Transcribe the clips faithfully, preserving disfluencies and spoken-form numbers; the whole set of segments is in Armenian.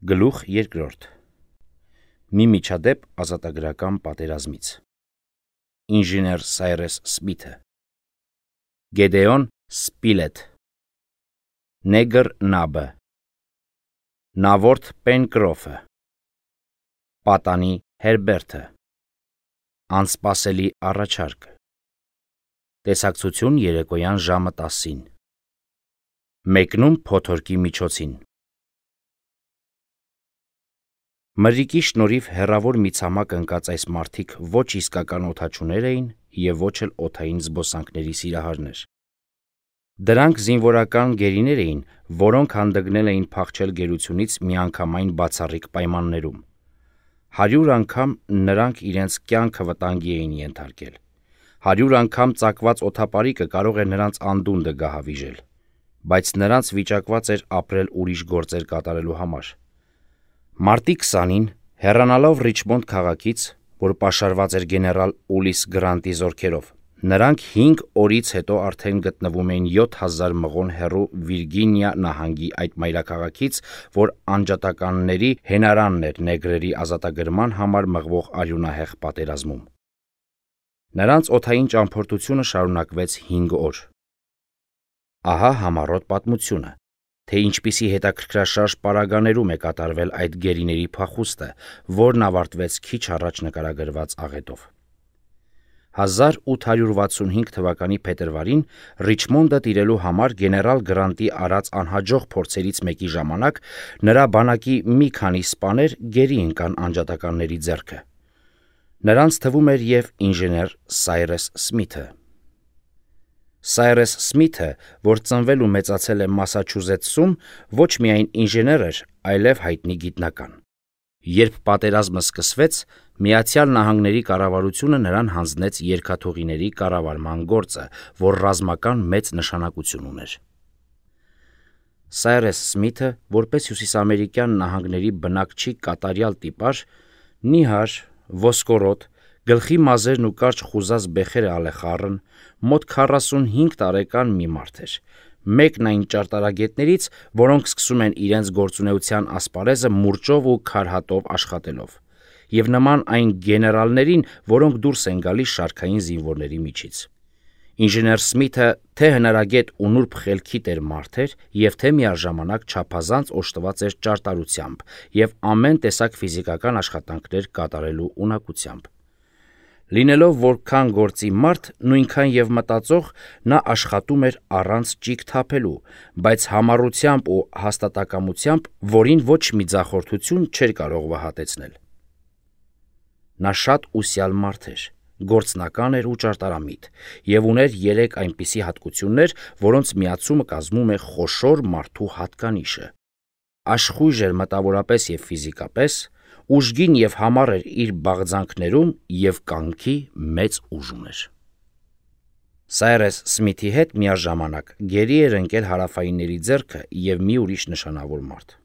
Գլուխ երկրորդ. Մի միջադեպ ազատագրական պատերազմից։ Ինժեներ Սայրես Սմիթը, Գեդեոն Սպիլետ, Նեգր Նաբը, Նավորդ Պենկրոֆը, Պատանի Հերբերտը, Անսպասելի առաջարկը, տեսակցություն երեկոյան ժամը տասին, մեկնում փոթորկի միջոցին։ Մրրիկի շնորհիվ հեռավոր մի ցամաք ընկած այս մարդիկ ոչ իսկական օդաչուներ էին և ոչ էլ օդային զբոսանքների սիրահարներ։ Դրանք զինվորական գերիներ էին, որոնք հանդգնել էին փախչել գերությունից միանգամայն բացառիկ պայմաններում։ Հարյուր անգամ նրանք իրենց կյանքը վտանգի էին ենթարկել։ Հարյուր անգամ ծակված օդապարիկը կարող էր նրանց անդունդը գահավիժել, բայց նրանց վիճակված էր ապրել ուրիշ գործեր կատարելու համար։ Մարտի քսանին, հեռանալով Ռիչմոնդ քաղաքից, որ պաշարված էր գեներալ Ուլիս Գրանտի զորքերով, նրանք հինգ օրից հետո արդեն գտնվում էին յոթ հազար մղոն հեռու Վիրգինիա նահանգի այդ մայրաքաղաքից, որ անջատականների հենարանն էր նեգրերի ազատագրման համար մղվող արյունահեղ պատերազմում։ Նրանց օդային ճամփորդությունը շարունակվեց հինգ օր։ Ահա համառոտ պատմությունը, թե ինչպիսի հետաքրքրաշարժ պարագաներում է կատարվել այդ գերիների փախուստը, որն ավարտվեց քիչ առաջ նկարագրված աղետով։ հազար ութ հարյուր վաթսունհինգ թվականի փետրվարին Ռիչմոնդը տիրելու համար գեներալ Գրանտի արած անհաջող փորձերից մեկի ժամանակ նրա բանակի մի քանի սպաներ գերի ընկան անջատականների ձեռքը։ Նրանց թվում էր և ինժեներ Սայրես Սմիթը։ Սայրես Սմիթը, որ ծնվել ու մեծացել է Մասաչուսեթսում, ոչ միայն ինժեներ էր, այլև հայտնի գիտնական։ Երբ պատերազմը սկսվեց, Միացյալ Նահանգների կառավարությունը նրան հանձնեց երկաթուղիների կառավարման գործը, որ ռազմական մեծ նշանակություն ուներ։ Սայրես Սմիթը, որպես հյուսիսամերիկյան նահանգների բնակչի կատարյալ տիպար, նիհար, ոսկորոտ, գլխի մազերն ու կարճ խուզած բեխերը ալեխառն, մոտ քառասունհինգ տարեկան մի մարդ էր, մեկն այն ճարտարագետներից, որոնք սկսում են իրենց գործունեության ասպարեզը մուրճով ու քարհատով աշխատելով, և նման այն գեներալներին, որոնք դուրս են գալիս շարքային զինվորների միջից։ Ինժեներ Սմիթը թե հնարագետ ու նուրբ խելքիտ էր մարդ էր և թե միաժամանակ չափազանց օժտված էր ճարտարությամբ և ամեն տեսակ ֆիզիկական աշխատանքներ կատարելու ունակությամբ։ Լինելով որքան գործի մարդ, նույնքան և մտածող, նա աշխատում էր առանց ճիգ թափելու, բայց համառությամբ ու հաստատակամությամբ, որին ոչ մի ձախորդություն չէր կարող վհատեցնել։ Նա շատ ուսյալ մարդ էր, գործնական էր ու ճարտարամիտ և ուներ երեք այնպիսի հատկություններ, որոնց միացումը կազմում է խոշոր մարդու հատկանիշը։ Աշխույժ էր մտավորապես և ֆիզիկապես, ուժգին և համառ էր իր բաղձանքներում և կամքի մեծ ուժ ուներ։ Սայրես Սմիթի հետ միաժամանակ գերի էր ընկել հարավայինների ձեռքը և մի ուրիշ նշանավոր մարդ։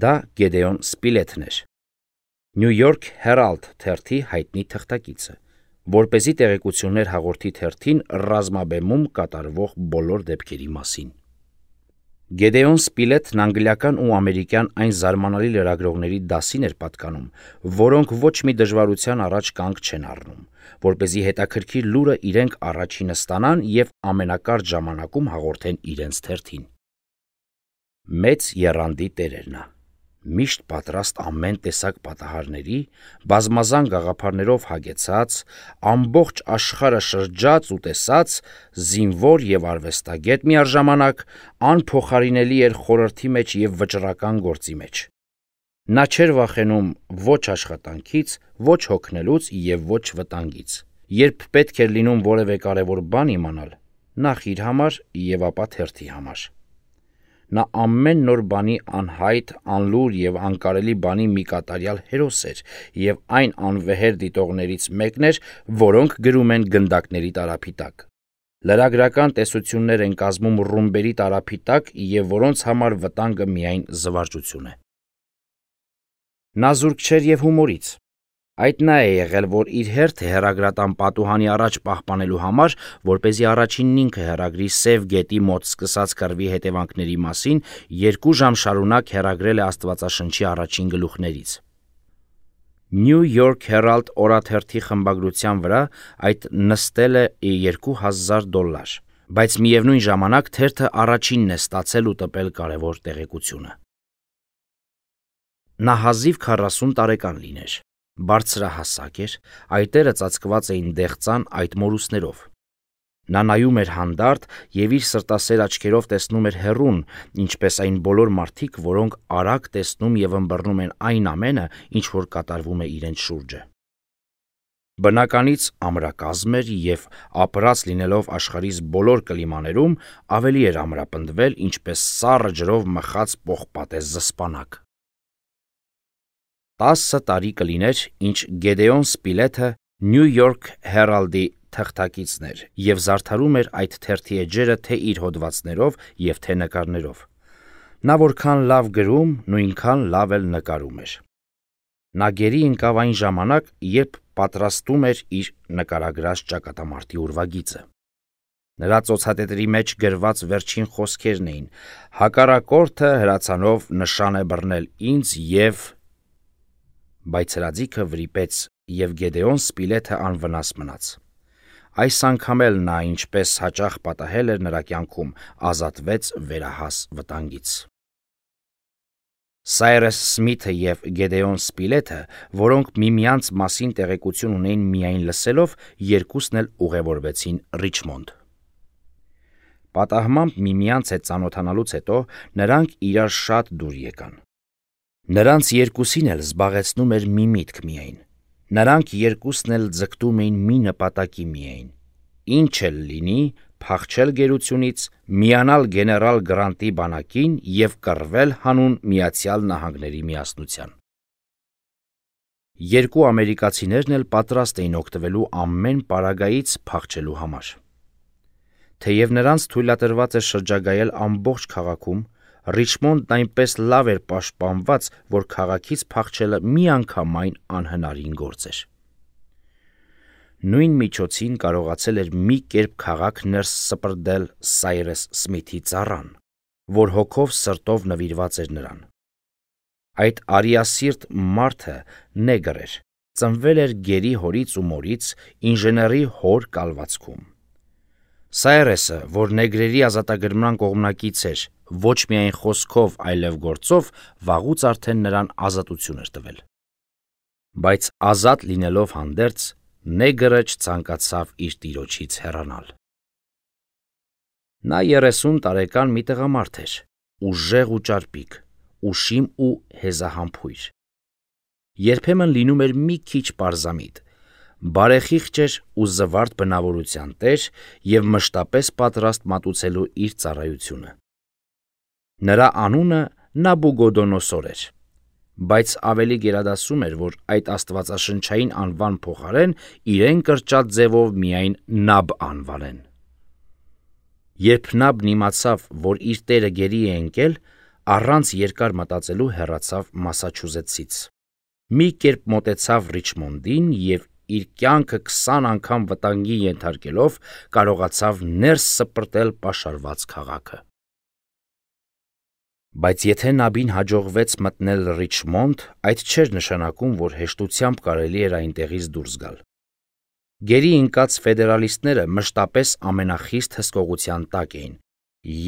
Դա Գեդեոն Սպիլեթն էր, Նյու Յորք Հերալդ թերթի հայտնի թղթակիցը, որպեսզի տեղեկություններ հաղորդի թերթին ռազմաբեմում կատարվող բոլոր դեպքերի մասին։ Գեդեոն Սպիլեթն անգլիական ու ամերիկյան այն զարմանալի լրագրողների դասին էր պատկանում, որոնք ոչ մի դժվարության առաջ կանգ չեն առնում, որպեսզի հետաքրքիր լուրը իրենք առաջինը ստանան և ամենակարճ ժամանակում հաղորդեն իրենց թերթին։ Մեծ եռանդի տեր էր նա, միշտ պատրաստ ամեն տեսակ պատահարների, բազմազան գաղափարներով հագեցած, ամբողջ աշխարհը շրջած ու տեսած, զինվոր և արվեստագետ միաժամանակ, անփոխարինելի էր խորհրդի մեջ և վճռական գործի մեջ։ Նա չէր վախենում ոչ աշխատանքից, ոչ հոգնելուց և ոչ վտանգից։ Երբ պետք էր լինում որևէ կարևոր բան իմանալ, նախ իր համար և ապա թերթի համար։ Նա ամեն նոր բանի անհայտ, անլուր և անկարելի բանի մի կատարյալ հերոս էր և այն անվեհեր դիտողներից մեկն էր, որոնք գրում են գնդակների տարափի տակ։ Լրագրական տեսություններ են կազմում ռումբերի տարափի տակ և որոնց համար վտանգը միայն զվարճություն է։ Նա զուրկ չէր և հումորից։ Այդ նա է եղել, որ իր հերթը հեռագրատան պատուհանի առաջ պահպանելու համար, որպեսզի առաջինն ինքը հեռագրի Սև գետի մոտ սկսած կռվի հետևանքների մասին, երկու ժամ շարունակ հեռագրել է Աստվածաշնչի առաջին գլուխներից։ New York Herald օրաթերթի խմբագրության վրա այդ նստել է երկու հազար դոլար, բայց միևնույն ժամանակ թերթը առաջինն է ստացել ու տպել կարևոր տեղեկությունը։ Նա հազիվ քառասուն տարեկան լիներ, բարձրահասակ էր, այտերը ծածկված էին դեղծան այդ մորուսներով։ Նա նայում էր հանդարտ և իր սրտասեր աչքերով տեսնում էր հեռուն, ինչպես այն բոլոր մարդիկ, որոնք արագ տեսնում և ըմբռնում են այն ամենը, ինչ որ կատարվում է իրենց շուրջը։ Բնականից ամրակազմ էր և ապրած լինելով աշխարհիս բոլոր կլիմաներում, ավելի էր ամրապնդվել, ինչպես սառը ջրով մխած պողպատե զսպանակ։ Տասը տարի կլիներ, ինչ Գեդեոն Սպիլեթը New York Herald-ի թղթակիցն էր և զարդարում էր այդ թերթի էջերը թե իր հոդվածներով և թե նկարներով։ Նա որքան լավ գրում, նույնքան լավ էլ նկարում էր։ Նա գերի ընկավ այն ժամանակ, երբ պատրաստում էր իր նկարագրած ճակատամարտի ուրվագիծը։ Նրա ծոցատետրի մեջ գրված վերջին խոսքերն էին. «Հակառակորդը հրացանով նշան է բռնել ինձ և…» Բայց հրաձիգը վրիպեց, և Գեդեոն Սպիլեթը անվնաս մնաց։ Այս անգամ էլ նա, ինչպես հաճախ պատահել էր նրա կյանքում, ազատվեց վերահաս վտանգից։ Սայրես Սմիթը և Գեդեոն Սպիլեթը, որոնք միմյանց մասին տեղեկություն ունեին միայն լսելով, երկուսն էլ ուղևորվեցին Ռիչմոնդ։ Պատահմամբ միմյանց հետ ծանոթանալուց հետո նրանք իրար շատ դուր եկան։ Նրանց երկուսին էլ զբաղեցնում էր մի միտք միայն։ Նրանք երկուսն էլ ձգտում էին մի նպատակի միայն. ինչ էլ լինի, փախչել գերությունից, միանալ գեներալ Գրանտի բանակին և կռվել հանուն Միացյալ Նահանգների միասնության։ Երկու ամերիկացիներն էլ պատրաստ էին օգտվելու ամեն պարագայից փախչելու համար։ Թեև նրանց թույլատրված էր շրջագայել ամբողջ քաղաքում, Ռիչմոնդն այնպես լավ էր պաշտպանված, որ քաղաքից փախչելը միանգամայն անհնարին գործ էր։ Նույն միջոցին կարողացել էր մի կերպ քաղաք ներս սպրդել Սայրես Սմիթի ծառան, որ հոգով սրտով նվիրված էր նրան։ Այդ արիասիրտ մարդը նեգր էր, ծնվել էր գերի հորից ու մորից, ինժեների հոր կալվածքում։ Սայրեսը, որ նեգրերի ազատագրման կողմնակից էր, ոչ միայն խոսքով, այլև գործով, վաղուց արդեն նրան ազատություն էր տվել։ Բայց ազատ լինելով հանդերձ, նեգրը չցանկացավ իր տիրոջից հեռանալ։ Նա երեսուն տարեկան մի տղամարդ էր, ուժեղ ու ճարպիկ, ուշիմ ու հեզահամբույր։ Երբեմն լինում էր մի քիչ պարզամիտ, բարեխիղճ էր ու զվարթ բնավորության տեր և մշտապես պատրաստ մատուցելու իր ծառայությունը։ Նրա անունը Նաբուգոդոնոսոր էր, բայց ավելի գերադասում էր, որ այդ աստվածաշնչային անվան փոխարեն իրեն կրճատ ձևով միայն Նաբ անվանեն։ Երբ Նաբն իմացավ, որ իր տերը գերի է ընկել, առանց երկար մտածելու հեռացավ Մասաչուսեթսից։ Մի կերպ մոտեցավ Ռիչմոնդին և իր կյանքը քսան անգամ վտանգի ենթարկելով կարողացավ ներս սպրտել պաշարված քաղաքը։ Բայց եթե Նաբին հաջողվեց մտնել Ռիչմոնդ, այդ չէր նշանակում, որ հեշտությամբ կարելի էր այնտեղից դուրս գալ։ Գերի ընկած ֆեդերալիստները մշտապես ամենախիստ հսկողության տակ էին,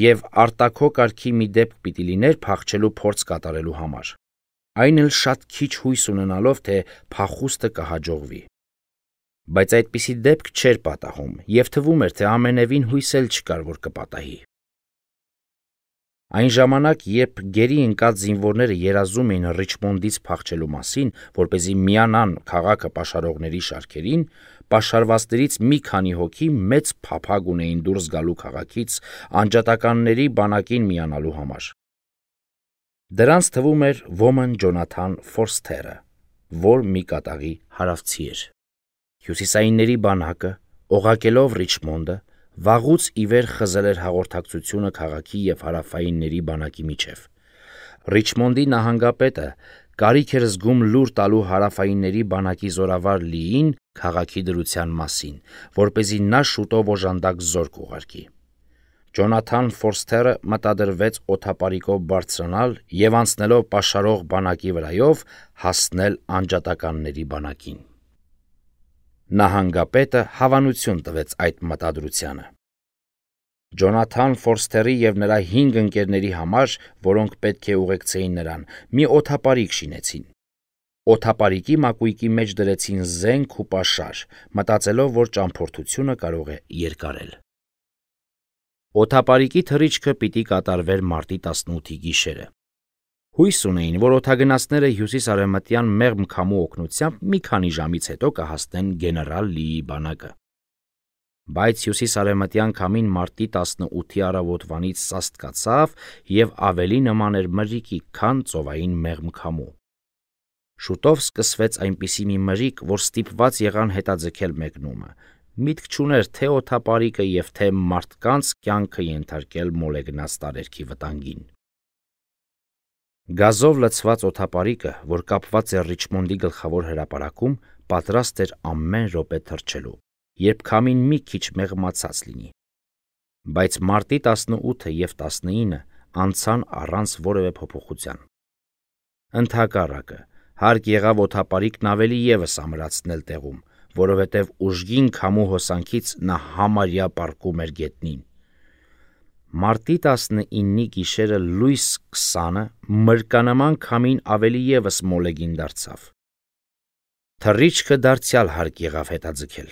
և արտաքո կարգի մի դեպք պիտի լիներ փախչելու փորձ կատարելու համար, այն էլ շատ քիչ հույս ունենալով, թե փախուստը կհաջողվի։ Բայց այդպիսի դեպք չէր պատահում, և թվում էր, թե ամենևին հույս էլ չկար, որ կպատահի։ Այն ժամանակ, երբ գերի ընկած զինվորները երազում էին Ռիչմոնդից փախչելու մասին, որպեսզի միանան քաղաքը պաշարողների շարքերին, պաշարվածներից մի քանի հոգի մեծ փափագ ունեին դուրս գալու քաղաքից անջատականների բանակին միանալու համար։ Դրանց թվում էր ոմն Ջոնաթան Ֆորսթերը, որ մի կատաղի հարավցի էր։ Հյուսիսայինների բանակը, օղակելով Ռիչմոնդը, վաղուց ի վեր խզել էր հաղորդակցությունը քաղաքի և հարավայինների բանակի միջև։ Ռիչմոնդի նահանգապետը կարիք էր զգում լուր տալու հարավայինների բանակի զորավար Լիին քաղաքի դրության մասին, որպեսզի նա շուտով օժանդակ զորք ուղարկի։ Ջոնաթան Ֆորսթերը մտադրվեց օդապարիկով բարձրանալ և անցնելով պաշարող բանակի վրայով հասնել անջատականների բանակին։ Նահանգապետը հավանություն տվեց այդ մտադրությանը։ Ջոնաթան Ֆորսթերի և նրա հինգ ընկերների համար, որոնք պետք է ուղեկցեին նրան, մի օդապարիկ շինեցին։ Օդապարիկի մակույկի մեջ դրեցին զենք ու պաշար, մտածելով, որ ճամփորդությունը կարող է երկարել։ Օդապարիկի թռիչքը պիտի կատարվեր մարտի տասնութի գիշերը։ Հույս ունեին, որ օդագնացները հյուսիս-արևմտյան մեղմ քամու օգնությամբ մի քանի ժամից հետո կհասնեն գեներալ Լիի բանակը։ Բայց հյուսիս-արևմտյան քամին մարտի տասնութի առավոտվանից սաստկացավ և ավելի նման էր մրրիկի, քան ծովային մեղմ քամու։ Շուտով սկսվեց այնպիսի մի մրրիկ, որ ստիպված եղան հետաձգել մեկնումը, միտք չուներ թե օդապարիկը և թե մարդկանց կյանքը ենթարկել մոլեգնած տարերքի վտանգին։ Գազով լցված օդապարիկը, որ կապված էր Ռիչմոնդի գլխավոր հրապարակում, պատրաստ էր ամեն րոպե թռչելու, երբ քամին մի քիչ մեղմացած լինի։ Բայց մարտի տասնութը և տասնինը անցան առանց որևէ փոփոխության։ Ընդհակառակը, հարկ եղավ օդապարիկն ավելի ևս ամրացնել տեղում, որովհետև ուժգին քամու հոսանքից նա համարյա պառկում էր գետնին։ Մարտի տասնինի գիշերը լույս քսանը մրրկանման քամին ավելի ևս մոլեգին դարձավ։ Թռիչքը դարձյալ հարկ եղավ հետաձգել։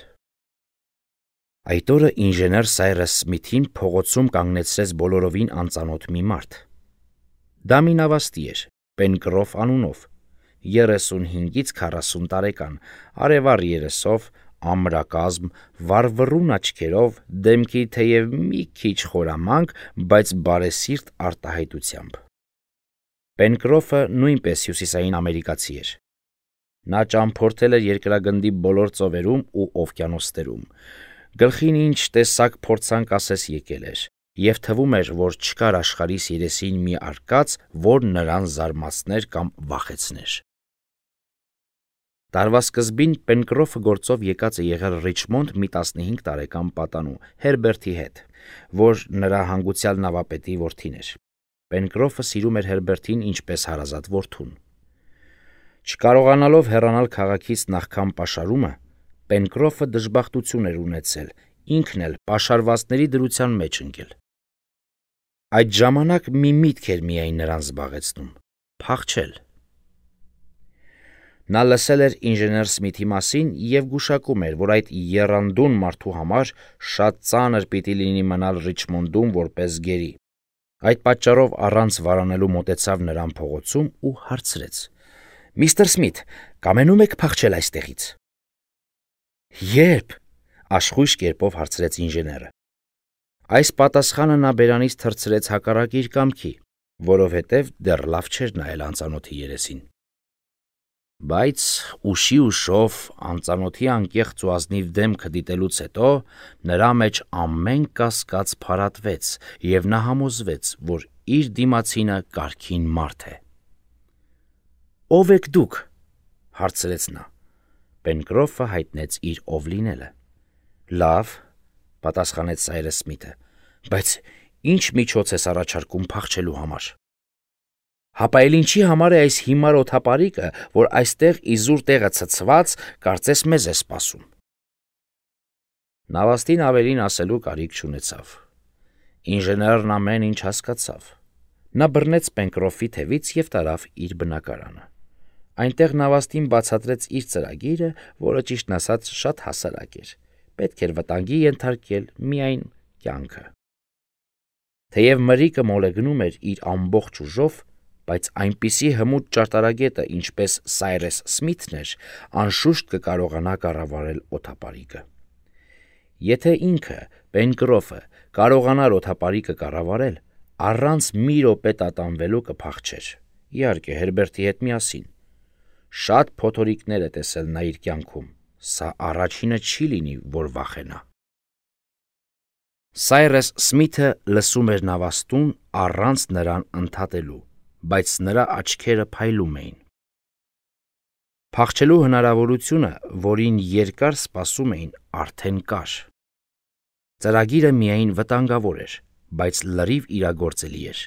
Այդ օրը ինժեներ Սայրս Սմիթին փողոցում կանգնեցրեց բոլորովին անծանոթ մի մարդ։ Դա մի նավաստի էր, Պենկրոֆ անունով, երեսունհինգից քառասուն տարեկան, արևառ երեսով, ամրակազմ, վառվռուն աչքերով, դեմքի թեև մի քիչ խորամանկ, բայց բարեսիրտ արտահայտությամբ։ Պենկրոֆը նույնպես հյուսիսային ամերիկացի էր։ Նա ճամփորդել էր երկրագնդի բոլոր ծովերում ու օվկիանոսներում, գլխին ինչ տեսակ փորձանք ասես եկել էր, և թվում էր, որ չկար աշխարհիս երեսին մի արկած, որ նրան զարմացներ կամ վախեցներ։ Տարվա սկզբին Պենկրոֆը գործով եկած է եղել Ռիչմոնդ մի տասնհինգ տարեկան պատանու, Հերբերտի հետ, որ նրա հանգուցյալ նավապետի որդին էր։ Պենկրոֆը սիրում էր Հերբերտին ինչպես հարազատ որդուն։ Չկարողանալով հեռանալ քաղաքից նախքան պաշարումը, Պենկրոֆը դժբախտություն էր ունեցել, ինքն էլ պաշարվածների դրության մեջ ընկել։ Այդ ժամանակ մի միտք էր միայն նրան զբաղեցնում՝ փախչել։ Նա լսել էր ինժեներ Սմիթի մասին և գուշակում էր, որ այդ եռանդուն մարդու համար շատ ծանր պիտի լինի մնալ Ռիչմոնդում որպես գերի։ Այդ պատճառով առանց վարանելու մոտեցավ նրան փողոցում ու հարցրեց. «Միստր Սմիթ, կամենում եք փախչել այստեղից»։ «Ե՞րբ»։ Աշխույժ կերպով հարցրեց ինժեները։ Այս պատասխանը նա բերանից թռցրեց հակառակ իր կամքի, որովհետև դեռ լավ չէր նայել անծանոթի երեսին։ Բայց ուշի ուշով անծանոթի անկեղծ ու ազնիվ դեմքը դիտելուց հետո նրա մեջ ամեն կասկած փարատվեց, և նա համոզվեց, որ իր դիմացինը կարգին մարդ է։ «Ո՞վ եք դուք»։ հարցրեց նա։ Պենկրոֆը հայտնեց իր ով լինելը։ «Լավ», պատասխանեց Սայրս Սմիթը, «բայց ի՞նչ միջոց ես առաջարկում փախչելու համար»։ «Հապա էլ ինչի համար է այս հիմար օդապարիկը, որ այստեղ իզուր տեղը ցցված, կարծես մեզ է սպասում»։ Նավաստին ավելին ասելու կարիք չունեցավ։ Ինժեներն ամեն ինչ հասկացավ։ Նա բռնեց Պենկրոֆի թևից և տարավ իր բնակարանը։ Այնտեղ նավաստին բացատրեց իր ծրագիրը, որը ճիշտն ասած շատ հասարակ էր, պետք էր վտանգի ենթարկել միայն կյանքը։ Թեև մրրիկը մոլեգնում էր իր ամբողջ ուժով, բայց այնպիսի հմուտ ճարտարագետը, ինչպես Սայրս Սմիթն էր, անշուշտ կկարողանա կառավարել օդապարիկը։ Եթե ինքը, Պենկրոֆը, կարողանար օդապարիկը կառավարել, առանց մի րոպե տատանվելու կփախչեր, իհարկե Հերբերտի հետ միասին։ Շատ փոթորիկներ է տեսել նա իր կյանքում, սա առաջինը չի լինի, որ վախենա։ Սայրս Սմիթը լսում էր նավաստուն առանց նրան ընդհատելու, բայց նրա աչքերը փայլում էին։ Փախչելու հնարավորությունը, որին երկար սպասում էին, արդեն կար։ Ծրագիրը միայն վտանգավոր էր, բայց լրիվ իրագործելի էր։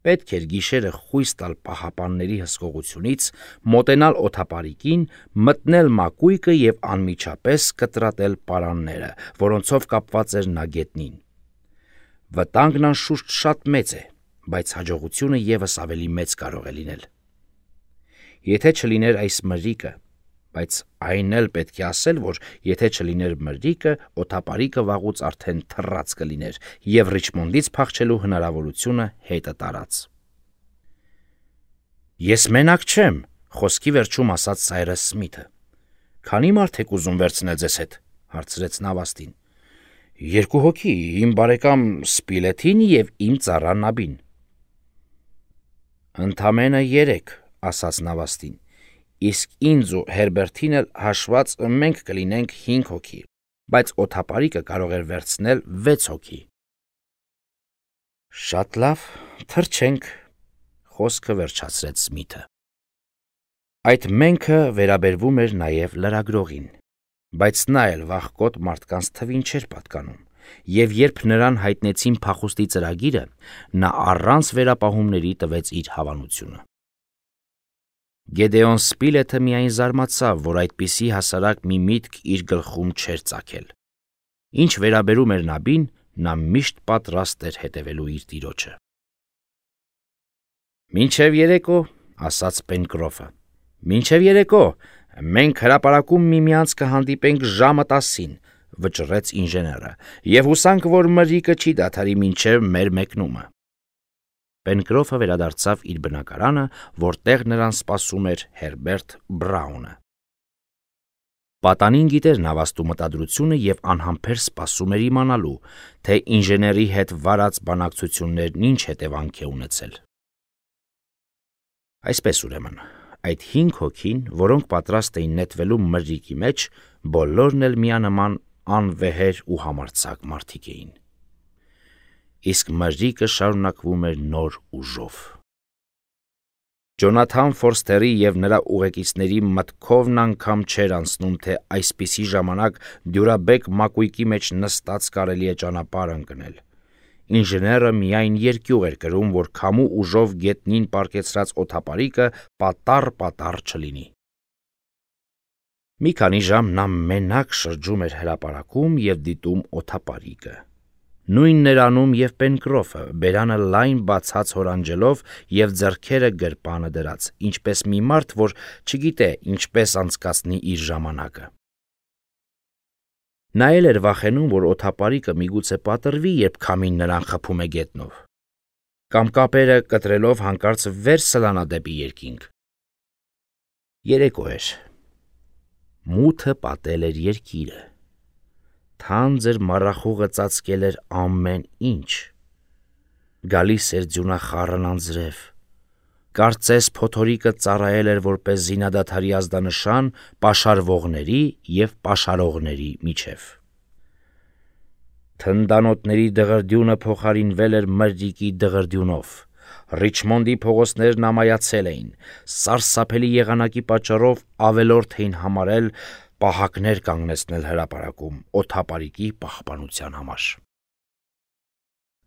Պետք էր գիշերը խույս տալ պահապանների հսկողությունից, մոտենալ օդապարիկին, մտնել մակույկը և անմիջապես կտրատել պարանները, որոնցով կապված էր նա գետնին։ Վտանգն անշուշտ շատ մեծ է, բայց հաջողությունը ևս ավելի մեծ կարող է լինել։ Եթե չլիներ այս մրրիկը, բայց այն էլ պետք է ասել, որ եթե չլիներ մրրիկը, օդապարիկը վաղուց արդեն թռած կլիներ և Ռիչմոնդից փախչելու հնարավորությունը հետը տարած։ Ես մենակ չեմ, խոսքի վերջում ասաց Սայրս Սմիթը։ Քանի՞ մարդ եք ուզում վերցնել ձեզ հետ, հարցրեց Նավաստին։ Երկու հոգի, իմ բարեկամ Սպիլեթին և իմ ծառա Նաբին։ Ընդամենը երեք, ասաց Նավաստին, իսկ ինձ ու Հերբերտին էլ հաշված մենք կլինենք հինգ հոգի, բայց օդապարիկը կարող էր վերցնել վեց հոգի։ Շատ լավ, թռչենք, խոսքը վերջացրեց Սմիթը։ Այդ մենքը վերաբերվում էր նաև լրագրողին, բայց նա էլ վախկոտ մարդկանց թվին չէր պատկանում, և երբ նրան հայտնեցին փախուստի ծրագիրը, նա առանց վերապահումների տվեց իր հավանությունը։ Գեդեոն Սպիլեթը միայն զարմացավ, որ այդպիսի հասարակ մի միտք իր գլխում չէր ծագել։ Ինչ վերաբերում էր Նաբին, նա միշտ պատրաստ էր հետևելու իր տիրոջը։ Մինչև երեկո, ասաց Պենկրոֆը, մինչև երեկո, մենք հրապարակում միմյանց կհանդիպենք ժամը տասին, վճռեց ինժեները, և հուսանք, որ մրրիկը չի դադարի մինչև մեր մեկնումը։ Պենկրոֆը վերադարձավ իր բնակարանը, որտեղ նրան սպասում էր Հերբերտ Բրաունը։ Պատանին գիտեր Նավաստու մտադրությունը և անհամբեր սպասում էր իմանալու, թե ինժեների հետ վարած բանակցություններն ինչ հետևանք է ունեցել։ Այսպես ուրեմն, այդ հինգ հոգին, որոնք պատրաստ էին նետվելու մրրիկի մեջ, բոլորն էլ միանման անվեհեր ու համարձակ մարդիկ էին։ Իսկ մրրիկը շարունակվում էր նոր ուժով։ Ջոնաթան Ֆորստերի և նրա ուղեկիցների մտքովն անգամ չէր անցնում, թե այսպիսի ժամանակ դյուրաբեկ մակույկի մեջ նստած կարելի է ճանապարհ ընկնել։ Ինժեները միայն երկյուղ էր կրում, որ քամու ուժով գետնին պառկեցրած օդապարիկը պատառ-պատառ չլինի։ Մի քանի ժամ նա մենակ շրջում էր հրապարակում և դիտում օդապարիկը։ Նույնն էր անում և Պենկրոֆը, բերանը լայն բացած հորանջելով և ձեռքերը գրպանը դրած, ինչպես մի մարդ, որ չգիտե ինչպես անցկացնի իր ժամանակը։ Նա էլ էր վախենում, որ օդապարիկը միգուցե պատռվի, երբ քամին նրան խփում է գետնով, կամ կապերը կտրելով հանկարծ վեր սլանա դեպի երկինք։ Երեկո էր։ Մութը պատել էր երկիրը։ Թանձր մառախուղը ծածկել էր ամեն ինչ։ Գալիս էր ձյունախառն անձրև։ Կարծես փոթորիկը ծառայել էր որպես զինադադարի ազդանշան պաշարվողների և պաշարողների միջև։ Թնդանոթների դղրդյունը փոխարինվել էր մրրիկի դղրդյունով։ Ռիչմոնդի փողոցներն ամայացել էին, սարսափելի եղանակի պատճառով ավելորդ էին համարել պահակներ կանգնեցնել հրապարակում օդապարիկի պահպանության համար։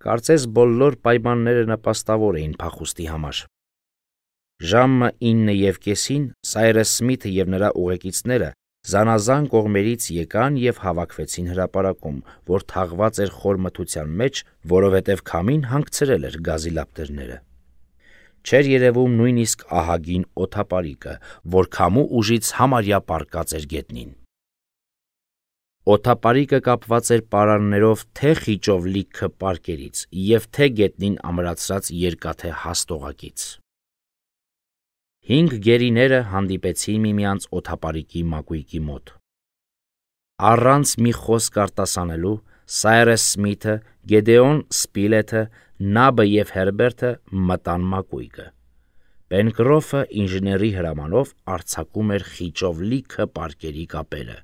Կարծես բոլոր պայմանները նպաստավոր էին փախուստի համար։ Ժամը ինը և կեսին Սայրս Սմիթը և նրա ուղեկիցները զանազան կողմերից եկան և հավաքվեցին հրապարակում, որ թաղված էր խոր մթության մեջ, որովհետև քամին հանգցրել էր գազի լապտերները։ Չէր երևում նույնիսկ ահագին օդապարիկը, որ քամու ուժից համարյա պառկած էր գետնին։ Օդապարիկը կապված էր պարաններով թե խիճով լիքը պարկերից և թե գետնին ամրացրած երկաթե հաստ օղակից։ Հինգ գերիները հանդիպեցին միմյանց օդապարիկի մակույկի մոտ։ Առանց մի խոսք արտասանելու Սայրս Սմիթը, Գեդեոն Սպիլեթը, Նաբը և Հերբերտը մտան մակույկը։ Պենկրոֆը ինժեների հրամանով արձակում էր խիճով լիքը պարկերի կապերը։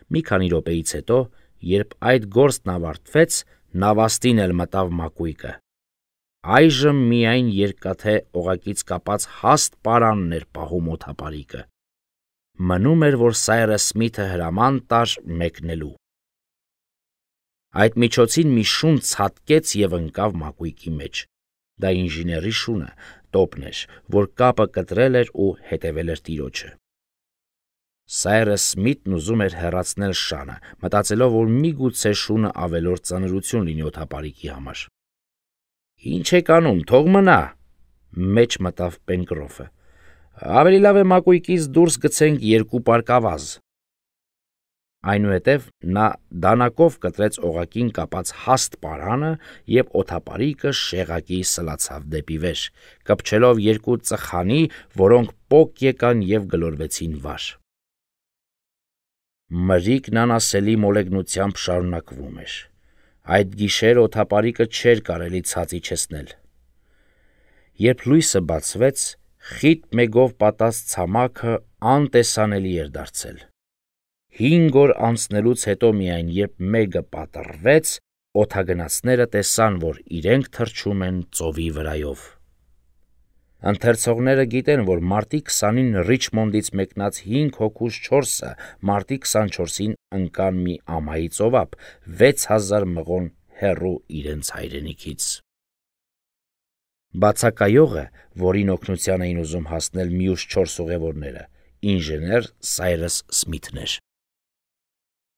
Մի քանի րոպեից հետո, երբ այդ գործն ավարտվեց, Նավաստին էլ մտավ մակույկը։ Այժմ միայն երկաթե օղակից կապած հաստ պարանն էր պահում օդապարիկը։ Մնում էր, որ Սայրս Սմիթը հրաման տար մեկնելու։ Այդ միջոցին մի շուն ցատկեց եւ ընկավ մակույկի մեջ։ Դա ինժեների շունը, տոպն էր, որ կապը կտրել էր ու հետևել էր տիրոջը։ Սայրս Սմիթն ուզում էր հեռացնել շանը, մտածելով, որ միգուցե շունը ավելորդ ծանրություն լինի օդապարիկի համար։ Ինչ եք անում, թող մնա, մեջ մտավ Պենկրոֆը։ Ավելի լավ է մակույկից դուրս գցենք երկու պարկավազ։ Այնուհետև նա դանակով կտրեց օղակին կապած հաստ պարանը եւ օդապարիկը շեղակի սլացավ դեպի վեր, կպչելով երկու ծխանի, որոնք պոկ եկան եւ գլորվեցին վար։ Մրրիկն անասելի մոլեգնությամբ շարունակվում էր։ Այդ գիշեր օդապարիկը չէր կարելի ցած իջեցնել։ Երբ լույսը բացվեց, խիտ մեգով պատած ցամաքը անտեսանելի էր դարձել։ Հինգ օր անցնելուց հետո միայն երբ մեգը պատռվեց, օդագնացները տեսան, որ իրենք թռչում են ծովի վրայով։ Ընթերցողները գիտեն, որ մարտի քսանին Ռիչմոնդից մեկնած հինգ հոգուց չորսը մարտի քսանչորսին ընկան մի ամայի ծովափ, վեց հազար մղոն հեռու իրենց հայրենիքից։ Բացակայողը, որին օգնության էին ուզում հասնել մյուս չորս ուղևորները, ինժեներ Սայրս Սմիթն էր։